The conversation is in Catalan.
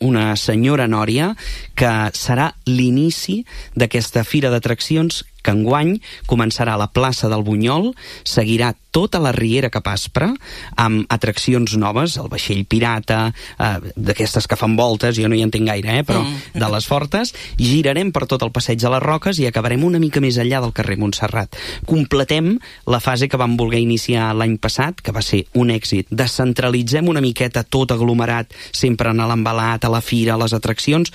una senyora nòria, que serà l'inici d'aquesta fira d'atraccions que enguany començarà a la plaça del Bunyol, seguirà tota la Riera cap Aspre, amb atraccions noves, el vaixell pirata, d'aquestes que fan voltes, jo no hi entenc gaire, però de les fortes, girarem per tot el passeig de les Roques i acabarem una mica més enllà del carrer Montserrat. Completem la fase que vam voler iniciar l'any passat, que va ser un èxit. Descentralitzem una miqueta tot aglomerat, sempre en l'embalat, a la fira, a les atraccions,